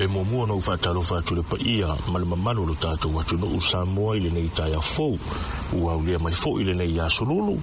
E muamua ona ou faatalofa atu i le paia ma le mamalu o lo tatou atunuu Samoa i lenei taeao fou. Ua aulia mai foi lenei aso lulu,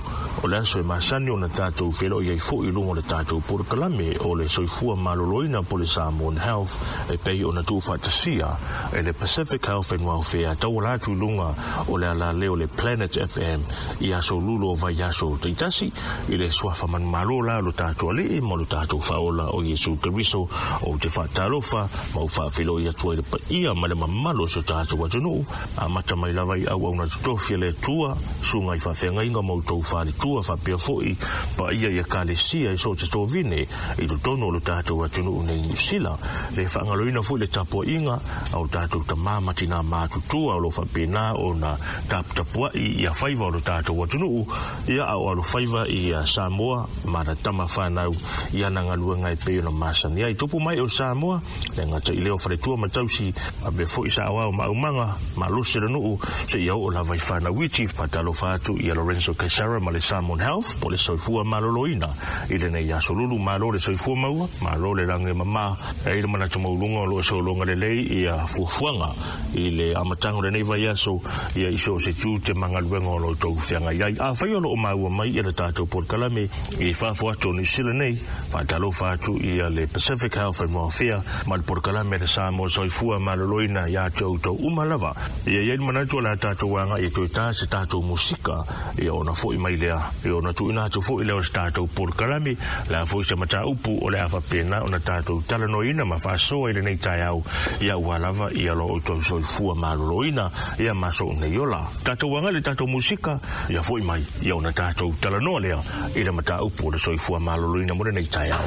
o le aso e masani ona tatou feiloai ai foi i luga o le tatou polokalame o le Soifua Maloloina po o le Samoan Health e pei ona tuufaatasia e le Pacific Health and Welfare tauala atu i luga o le alaleo o le Planet FM i aso lulu o vaiaso taitasi i le suafa manumalo la o lo tatou Alii ma lo tatou Faaola o Iesu Keriso. Ou te faatalofa ma ou faafeiloai atu ai i le paia ma le mamalu o si o tatou atunuu, amata mai lava i auauna totofi a le Atua, susuga i faafeagaiga ma outou faletua faapea foi paia i Ekalesia i so o se tovine i totonu o lo tatou atunuu nei i Niu Sila. Le faagaloina foi le tapuaiga a o tatou tama ma tinā matutua o lo o faapena ona taputapuai ia faiva o lo tatou atunuu, ia a o alofaiva i Samoa ma ana tama fanau i ana galuega e pei ona masani ai. Tupu mai o Samoa, le gata i lea o faletua ma tausi, faapea foi saoao ma aumaga, malosi o le nuu, seia oo lava i fanau iti. Faatalofa atu ia Lorenzo Kaisara ma le Samoan Health po o le Soifua Maloloina i lenei aso lulu. Malo le soifua maua, malo le lagi e mama. E ai le manatu maualuga o lo o sologa lelei ia fuafuaga i le amataga o lenei vaiaso ia i so o se tiute ma galuega o lo outou feagai ai. Afai o lo o maua mai ia le tatou polokalame i fafo atu o Niu Sila nei, faatalofa atu ia le Pacific Health and Welfare ma le polokalame a le Samoa Soifua Maloloina ia te outou uma lava. Ia i ai le manatu o le a tatou agai e toe ta se tatou musika ia ona foi mai lea, ia ona tuuina atu foi lea o se tatou polokalame, le a foi se mataupu o le a faapena ona tatou talanoaina ma faasoa i lenei taeao, ia aua lava ia lo outou soifua maloloina, ia ma sou nei ola. Tatou agai i le tatou musika, ia foi mai, ia ona tatou talanoa lea i le mataupu o le soifua maloloina mo lenei taeao.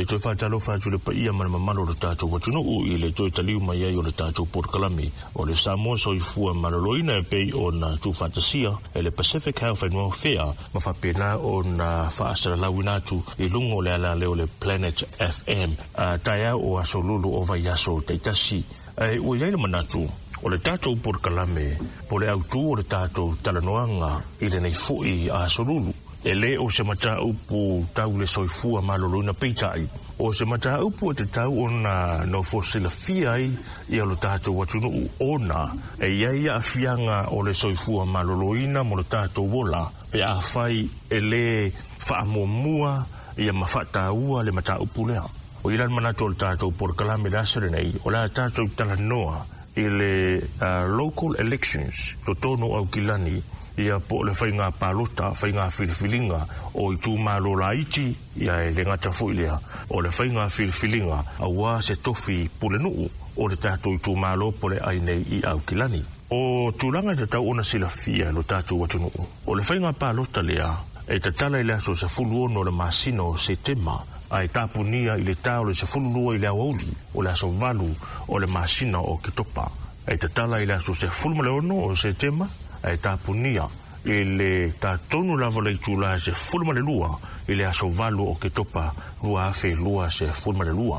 E toe faatalofa atu i le paia ma le mamalu o le tatou atunuu i le toe taliu mai ai o le tatou polokalame o le Samoa Soifua Maloloina e pei ona tuufaatasia e le Pacific Health and Welfare ma faapena ona faasalalauina atu i luga o le alaleo o le Planet FM taeao o aso Lulu o vaiaso taitasi. Ae ua i ai le manatu o le tatou polokalame po o le autū o le tatou talanoaga i lenei foi aso Lulu, e lē o se mataupu tau le soifua maloloina, peitai o se mataupu e tatau ona nofo silafia ai ia lo tatou atunuu, ona e i ai aafiaga o le soifua maloloina mo le tatou ola pe afai e lē faamuamua ia ma faataua le mataupu lea. O i la le manatu o le tatou polokalame le aso lenei, o le a tatou talanoa i le local elections totonu o Aukilani, ia po o le faiga palota, faiga filifiliga o itumalo laiti, ia e le gata foi lea o le faiga filifiliga auā se tofi pulenuu o le tatou itumalo po le ai nei i Aukilani. O tulaga e tatau ona silafia e lo tatou atunuu, o le faiga palota lea e tatala i le aso 16 o le masina o Setema ae tapunia i le ta o le 12 i le aoauli o le aso 8 o le masina o Oketopa. E tatala i le aso 16 o Setema ae tapunia i le ta tonu lava o le itula 12 i le aso 8 o Oketopa 2022.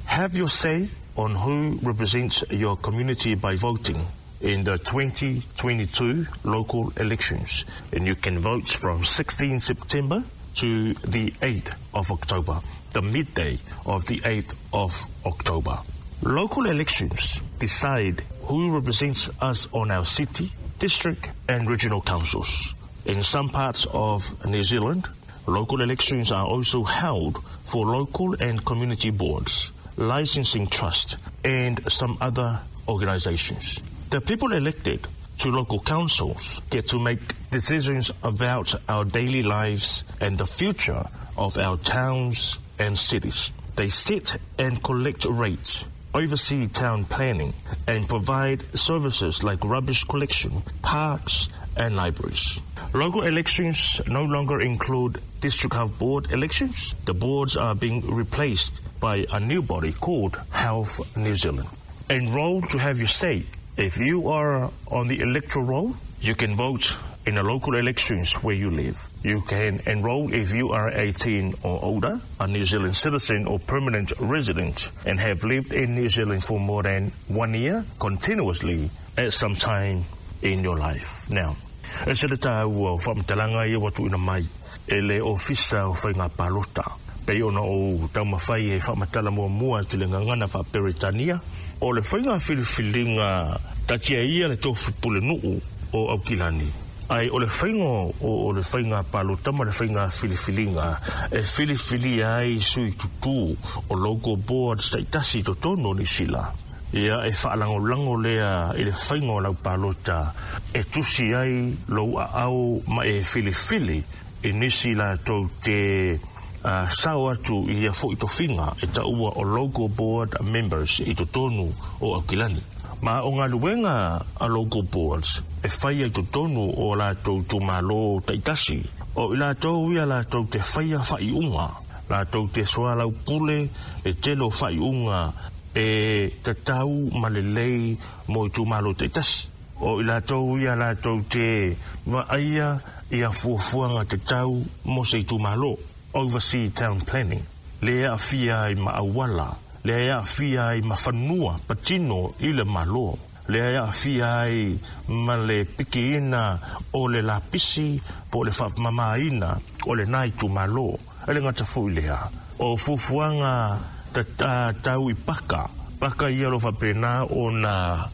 Have your say on who represents your community by voting in the 2022 local elections. And you can vote from 16 September to the 8th of October, the midday of the 8th of October. Local elections decide who represents us on our city, district and regional councils. In some parts of New Zealand, local elections are also held for local and community boards, licensing trust, and some other organizations. The people elected to local councils get to make decisions about our daily lives and the future of our towns and cities. They set and collect rates, oversee town planning, and provide services like rubbish collection, parks, and libraries. Local elections no longer include district health board elections. The boards are being replaced by a new body called Health New Zealand. Enroll to have your say. If you are on the electoral roll, you can vote in the local elections where you live. You can enroll if you are 18 or older, a New Zealand citizen or permanent resident, and have lived in New Zealand for more than 1 year continuously at some time in your life. Now, e se le tāua o faamatalaga ia ua tuuina mai e le Ofisa o Faiga Palota, pei ona ou taumafai e faamatala muamua atu i le gagana faa-Peretania, o le faiga filifiliga taatia ia le tofi pulenuu o Aukilani, ae o le faiga o le faiga palota ma le faiga filifiliga e filifilia ai sui tutū o local boards taitasi i totonu o Niu Sila, ia e faalagolago lea i le faiga o lau palota e tusi ai lou aao ma e filifili i nisi latou te sao atu i ia foi tofiga e taua o local board members i totonu o Aukilani. Ma o galuega a local boards e faia i totonu o latou itumalo taitasi, o i latou ia latou te faia faaiuga, latou te soalaupule le tele o faaiuga e tatau ma lelei mo itumalo taitasi. O i latou ia latou te vaaia ia fuafuaga tatau mo se itumalo, oversee town planning, lea e aafia ai ma auala, lea e aafia ai ma fanua patino i le Malo, lea e aafia ai ma le pikiina o le lapisi po o le faamamaina o lena itumalo. E le gata foi lea, o fuafuaga tau i paka, paka ia o lo o faapena ona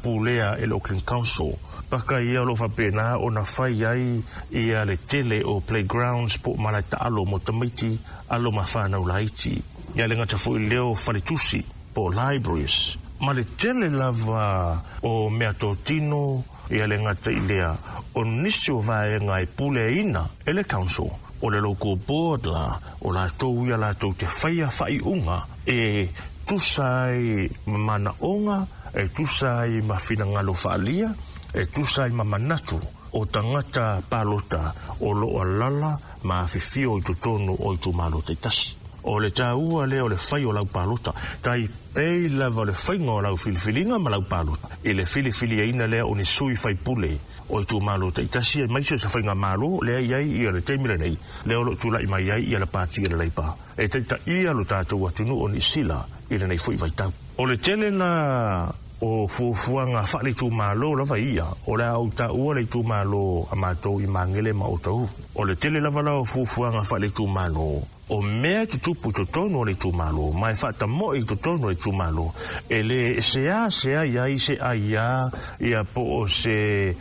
pulea e le Auckland Council, paka ia o lo o faapena ona fai ai ia le tele o playgrounds po o malae taalo mo tamaiti alo ma whanau laiti. Ia le gata foi lea o faletusi po o libraries, ma le tele lava o meatotino, ia le gata i lea o nisi o vaega e puleaina e le council o le local board la, o latou ia latou te faia faaiuga e tusa ai ma manaoga, e tusa ai ma finagalo faaalia, e tusa ai ma manatu o tagata palota o loo alaala ma afifio i totonu o itumalo taitasi. O le tāua lea o le fai o lau palota. Tai pei lava o le faiga o lau filifiliga ma lau palota i le filifiliaina lea o ni sui faipule o itumalo taitasi, aemaise o se faigamalo lea i ai ia le taimi lenei, lea o loo tulai mai ai ia le pati a le Leipa e taitaia lo tatou atunuu o Niusila i lenei foi vaitau. O le tele la o fuafuaga faale-itumalo lava ia, o le a ou taua le itumalo a matou i Magele ma Otahuhu. O le tele lava la o fuafuaga faale-itumalo, o mea e tutupu i totonu o le itumalo ma e faatamoe i totonu o le itumalo, e le seasea i ai se aiā ia po o se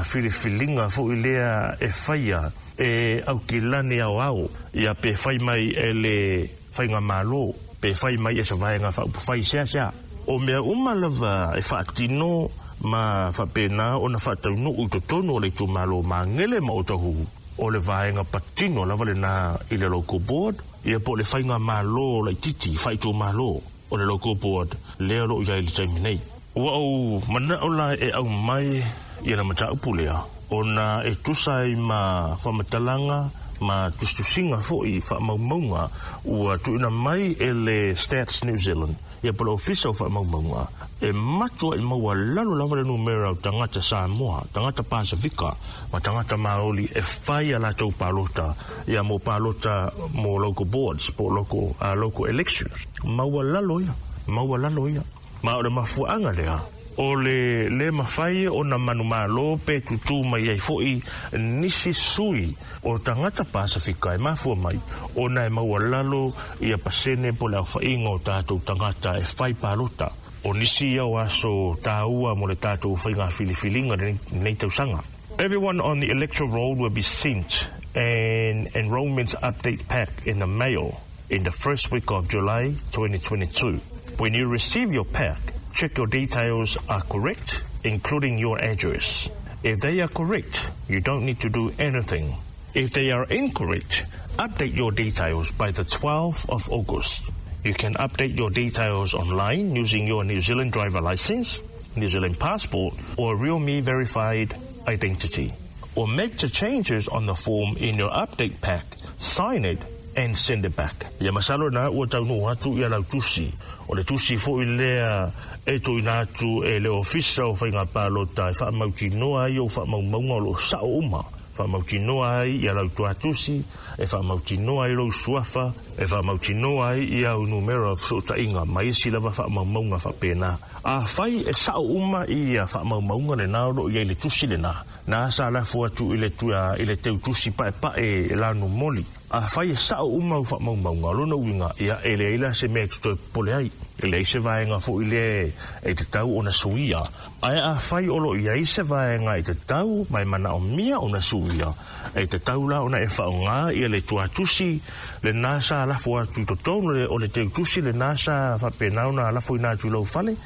filifiliga foi lea e faia e Aukilani Aoao ia, pe fai mai e le faigamalo, pe fai mai e se vaega faaupufai seasea. O mea uma lava e faatino ma faapena ona faataunuu i totonu o le itumalo Magele ma Otahuhu, o le vaega patino lava lena i le local board ia po o le faigamalo laitiiti faaitumalo o le local board lea o loo i ai i le taimi nei. Ua ou manao la e aumai ia le mataupu lea ona e tusa ai ma faamatalaga ma tusitusiga foi faamaumauga ua tuuina mai e le Stats New Zealand ia po o le Ofisa o Faamaumauga, e matuai maualalo lava le numera o tagata Samoa, tagata Pasefika ma tagata Maoli e fai a latou palota ia mo palota mo local boards po o local elections. Maualalo ia, maualalo ia. Ma o le mafuaaga lea o le lē mafai ona manumalo pe tutū mai ai foi nisi sui o tagata Pasefika, e mafua mai ona e maualalo ia pasene po le aofaiga o tatou tagata e fai palota. O nisi ia o aso tāua mo le tatou faiga filifiliga lenei tausaga. Everyone on the electoral roll will be sent an enrollment update pack in the mail in the first week of July 2022. When you receive your pack, check your details are correct, including your address. If they are correct, you don't need to do anything. If they are incorrect, update your details by the 12th of August. You can update your details online using your New Zealand driver license, New Zealand passport, or RealMe verified identity. Or make the changes on the form in your update pack, sign it, and send it back. Ia masalo na ua taunuu atu ia lau tusi. O le tusi foi lea e tuuina atu e le Ofisa o Faiga Palota e faamautinoa ai ou faamaumauga o loo sao uma. Faamautinoa ai ia lau tuatusi, e faamautinoa ai lou suafa, e faamautinoa ai ia au numera o fesootaiga ma isi lava faamaumauga faapena. Afai e sao uma ia faamaumauga lena o loo i ai le tusi lena, na sa lafo atu i le teutusi paepae e lanu moli. Afai e sao uma au faamaumauga, o lona uiga ia e leai la se mea e totoe popole ai, e leai se vaega foi lea e tatau ona suia. Ae afai o loo i ai se vaega e tatau ma e manaomia ona suia, e tatau la ona e faaaogā ia le tuatusi lena sa lafo atu i totonu o le teutusi lena sa faapena ona lafoina atu i lou fale.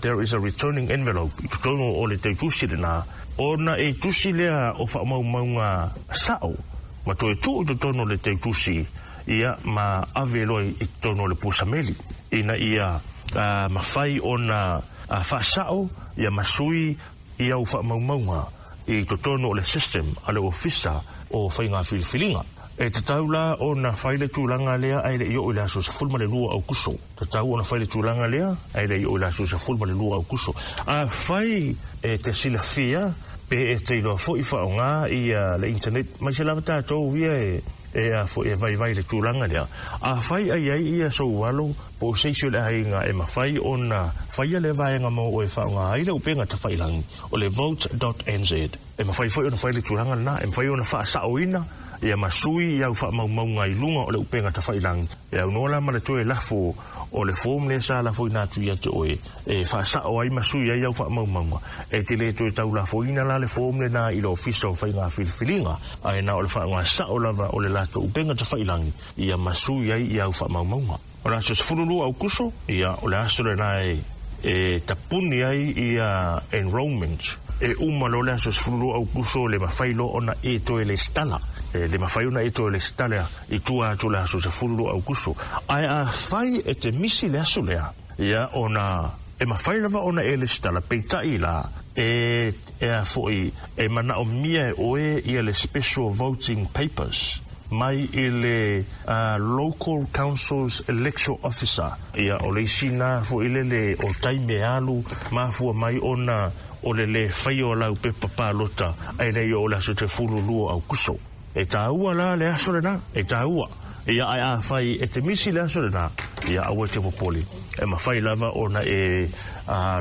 There is a returning envelope i totonu o le teutusi lena, ona e tusi lea o faamaumauga sao ma toe tuu i totonu o le teutusi ia ma ave loa i totonu o le pusameli ina ia mafai ona faasao ia ma sui ia au faamaumauga i totonu o le system a le Ofisa o Faiga Filifiliga. E tatau la ona fai le tulaga lea ae le i oo i le aso 12 Aukuso. Tatau ona fai le tulaga lea ae le i oo i le aso 12 Aukuso. Afai e te silafia pe e te iloa foi faaaogā ia le internet, mai se lava tatou ia e a foi e vaivai le tulaga lea. Afai ai ai ia sou alo po o se isi o le aiga e mafai ona faia le vaega mo oe faaaogā ai le upega tafailagi o le vote.nz, e mafai foi ona fai le tulaga lena, e mafai ona faasaoina ia ma sui i au faamaumauga i luga o le upega tafailagi. E aunoa la ma le toe lafo o le form lea sa lafoina atu ia te oe e faasao ai ma sui ai au faamaumauga. E te le toe taulafoina la le form lena i le Ofisa o Faiga Filifiliga, ae na o le faaaoga sao lava o le latou upega tafailagi ia ma sui ai i au faamaumauga. O le aso 12 Aukuso ia o le aso lena e tapuni ai ia enrollment. E uma loa le aso 12 Aukuso, le mafai loa ona e toe lesitala, e le mafai ona e toe lesitala i tua atu le aso 12 Aukuso. Ae afai e te misi le aso lea, ia ona e mafai lava ona e lesitala, peitai la e a foi e manaomia e oe ia le special voting papers. mai i le Local Councils Electoral Officer. Ia, o le isi na foi lele o taimi e alu mafua mai ona o le lē faia o lau pepa palota ae le i oo i le aso 12 o Aukuso. E taua la le aso lena, e taua. Ia, ae afai e te misi le aso lena, ia aua e te popole. E mafai lava ona e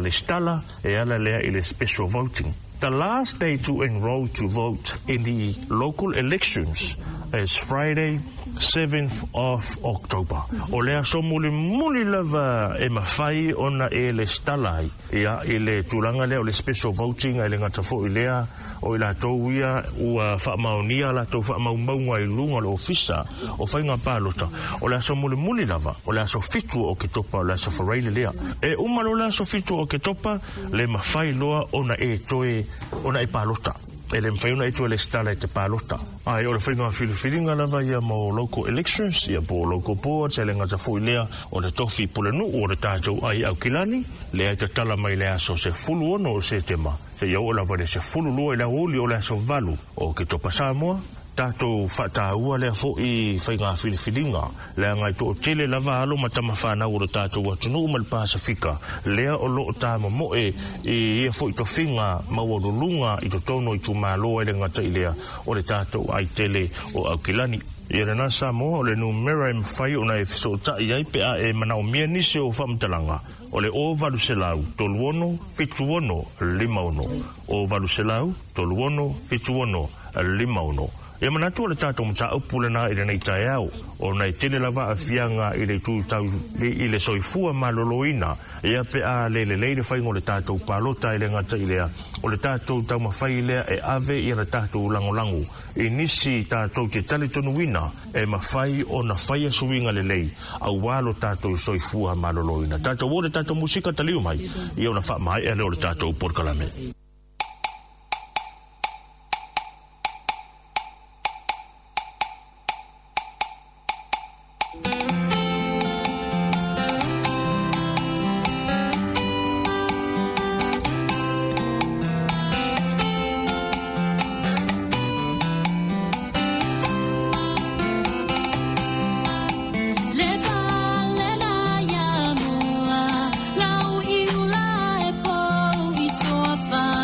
lesitala e ala lea i le special voting. The last day to enroll to vote in the local elections is Friday, 7th of October. O le aso mulimuli lava e mafai ona e lesitala ai, ia, i le tulaga lea o le special voting, ae le gata foi i lea, o i latou ia ua faamaonia a latou faamaumauga i luga o le Ofisa o Faiga Palota, o le aso mulimuli lava, o le aso 7 o Oketopa, o le aso Faraile lea. E uma loa le aso 7 o Oketopa, le mafai loa ona e toe ona e palota. E le mafai ona e toe lesitala e te palota. Ae o le faiga filifiliga lava ia mo local elections, ia po o local boards, e le gata foi lea o le tofi pulenuu o le tatou ai Aukilani, lea e tatala mai le aso 16 o Setema, seia oo lava i le 12 i le aoauli o le aso 8 o Oketopa. Samoa, tatou faataua lea foi faiga filifiliga, leaga e toatele lava alo ma tama fanau o le tatou atunuu ma le Pasefika lea o lo o tamomoe i ia foi tofiga maualuluga i totonu o itumalo, e le gata i lea o le tatou ai tele o Aukilani. Ia lena Samoa, o le numera e mafai ona e fesootai ai pe a e manaomia nisi o faamatalaga, o le 0800 36 76 56, 0800 36 76 56. E manatu o le tatou mataupu lena i lenei taeao, ona e tele lava aafiaga i le itu tau i le soifua maloloina, ia pe a le lelei le faiga o le tatou palota, e le gata i lea, o le tatou taumafai lea e ave ia le tatou lagolago i nisi tatou te talitonuina e mafai ona faia suiga lelei aua lo tatou soifua maloloina. Tatou o le tatou musika taliu mai, ia ona faamaea lea o le tatou polokalame. Le palena ia mua, lau iula e pou i toafa.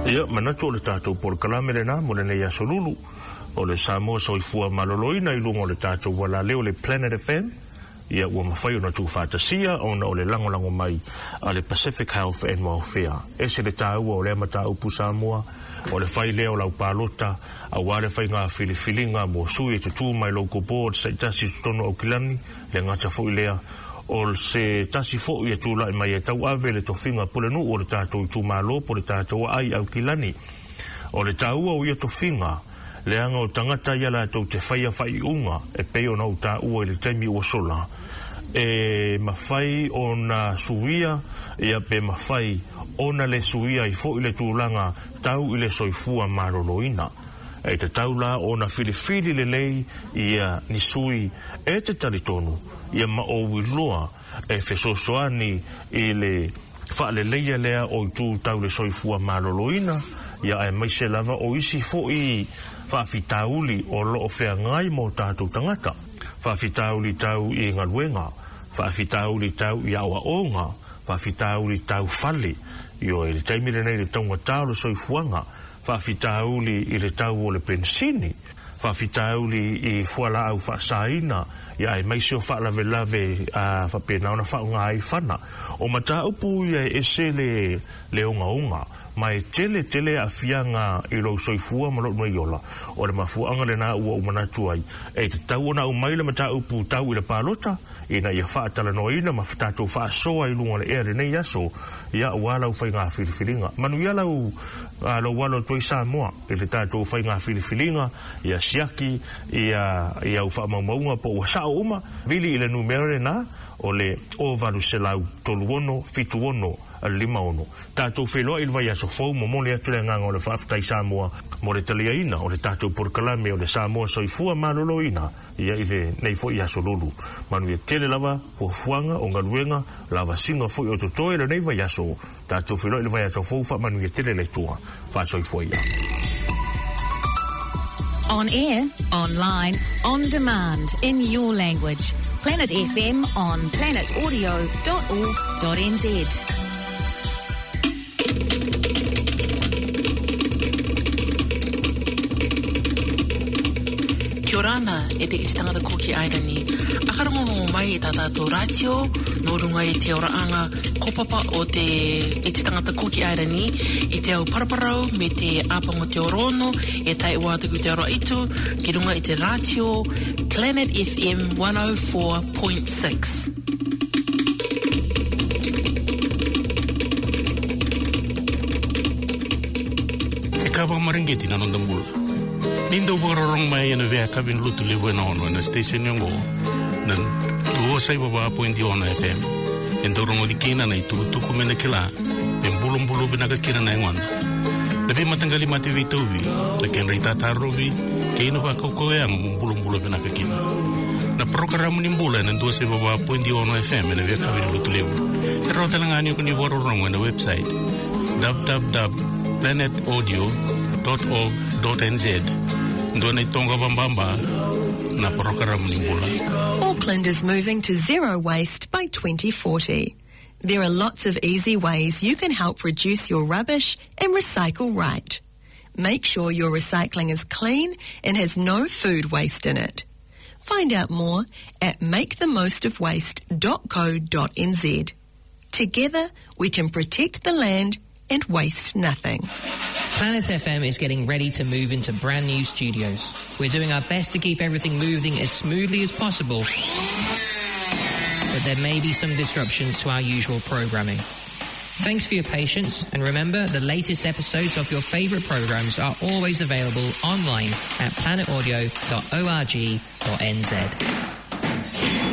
Ia, manatu o le tatou polokalame lena mo lenei aso lulu o le Samoa Soifua Maloloina i luga o le tatou ualaleo le Planet FM, ia ua mafai ona tuufaatasia ona o le lagolago mai a le Pacific Health and Welfare. Ese le taua o lea mataupu Samoa, o le fai lea o lau palota aua le faiga filifiliga mo sui e tutū mai local boards taitasi i totonu o Aukilani, le gata foi lea o se tasi foi e tulai mai e tauave le tofiga pulenuu o le tatou itumalo po o le tatou aai Aukilani. O le taua o ia tofiga, leaga o tagata ia latou te faia faaiuga e pei ona ou taua i le taimi ua sola, e mafai ona suia ia pe mafai ona le suia ai foi le tulaga tau i le soifua maloloina. E tatau la ona filifili lelei ia ni sui e te talitonu ia ma ou iloa e fesoasoani i le faaleleia lea o itu tau le soifua maloloina, ia aemaise lava o isi foi faafitauli o lo o feagai ma o tatou tagata, faafitauli tau i galuega, faafitauli tau i aoaoga, faafitauli tau fale, ioe, i le taimi lenei i le taugata o le soifuaga, faafitauli i le tau o le penisini, faafitauli i fualaau faasaina, ia aemaise o faalavelave a faapena ona faaaoga ai fana. O mataupu ia e ese le le ogaoga, ma e tele tele aafiaga i lou soifua ma lou nei ola. O le mafuaaga lena ua ou manatu ai, e tatau ona aumai le mataupu tau i le palota, ina ia faatalanoaina ma tatou faasoa i luga o le ea i lenei aso, ia aua lau faiga filifiliga. Manuia lau lou alo atu ai Samoa i le tatou faiga filifiliga, ia siaki ia i au faamaumauga po ua sao uma, vili i le numera lena o le 0800 36 76 56. Tatou feiloai i le vaiaso fou, momoli atu le agaga o le faafetai Samoa mo le taliaina o le tatou polokalame o le Samoa Soifua Maloloina. Ia i lenei foi aso lulu. Manuia tele lava fuafuaga o galuega, lavasiga foi o totoe lenei vaiaso. Tatou feiloai i le vaiaso fou, faamanuia tele le Atua. Faasoifua ia. On air, online, on demand, in your language. Planet FM on planetaudio.org.nz. Kia ora ana e te iti tangata Koki Airani. Akarongorongo mai e tā tātou rātio nō runga i te oraanga kopapa o te iti tangata Koki Airani i te au paraparau me te āpango te orono e tae ua atu ki te oro itu ki runga i te rātio Planet FM 104.6. E kava maringeti na nonda mula. Nindo warorong mai ana vea kabin lutu le wena ono na station yongo na luo sai baba point ono FM. Endo rongo di kina na itu tuku mena kila ben bulum bulu bena ka kina na ngona. Na be matangali mate vi tovi na ken rita tarovi ke ino va koko e ang bulum bulu bena ka kina. Na programa ni mbula na ndua se baba point ono FM na vea kabin lutu lewu. E rota langa ni warorong na website www.planetaudio.org.nz. Ndua tonga bambamba na programa ni mbula. Auckland is moving to zero waste by 2040. There are lots of easy ways you can help reduce your rubbish and recycle right. Make sure your recycling is clean and has no food waste in it. Find out more at makethemostofwaste.co.nz. Together, we can protect the land and waste nothing. Planet FM is getting ready to move into brand new studios. We're doing our best to keep everything moving as smoothly as possible, but there may be some disruptions to our usual programming. Thanks for your patience, and remember, the latest episodes of your favourite programs are always available online at planetaudio.org.nz.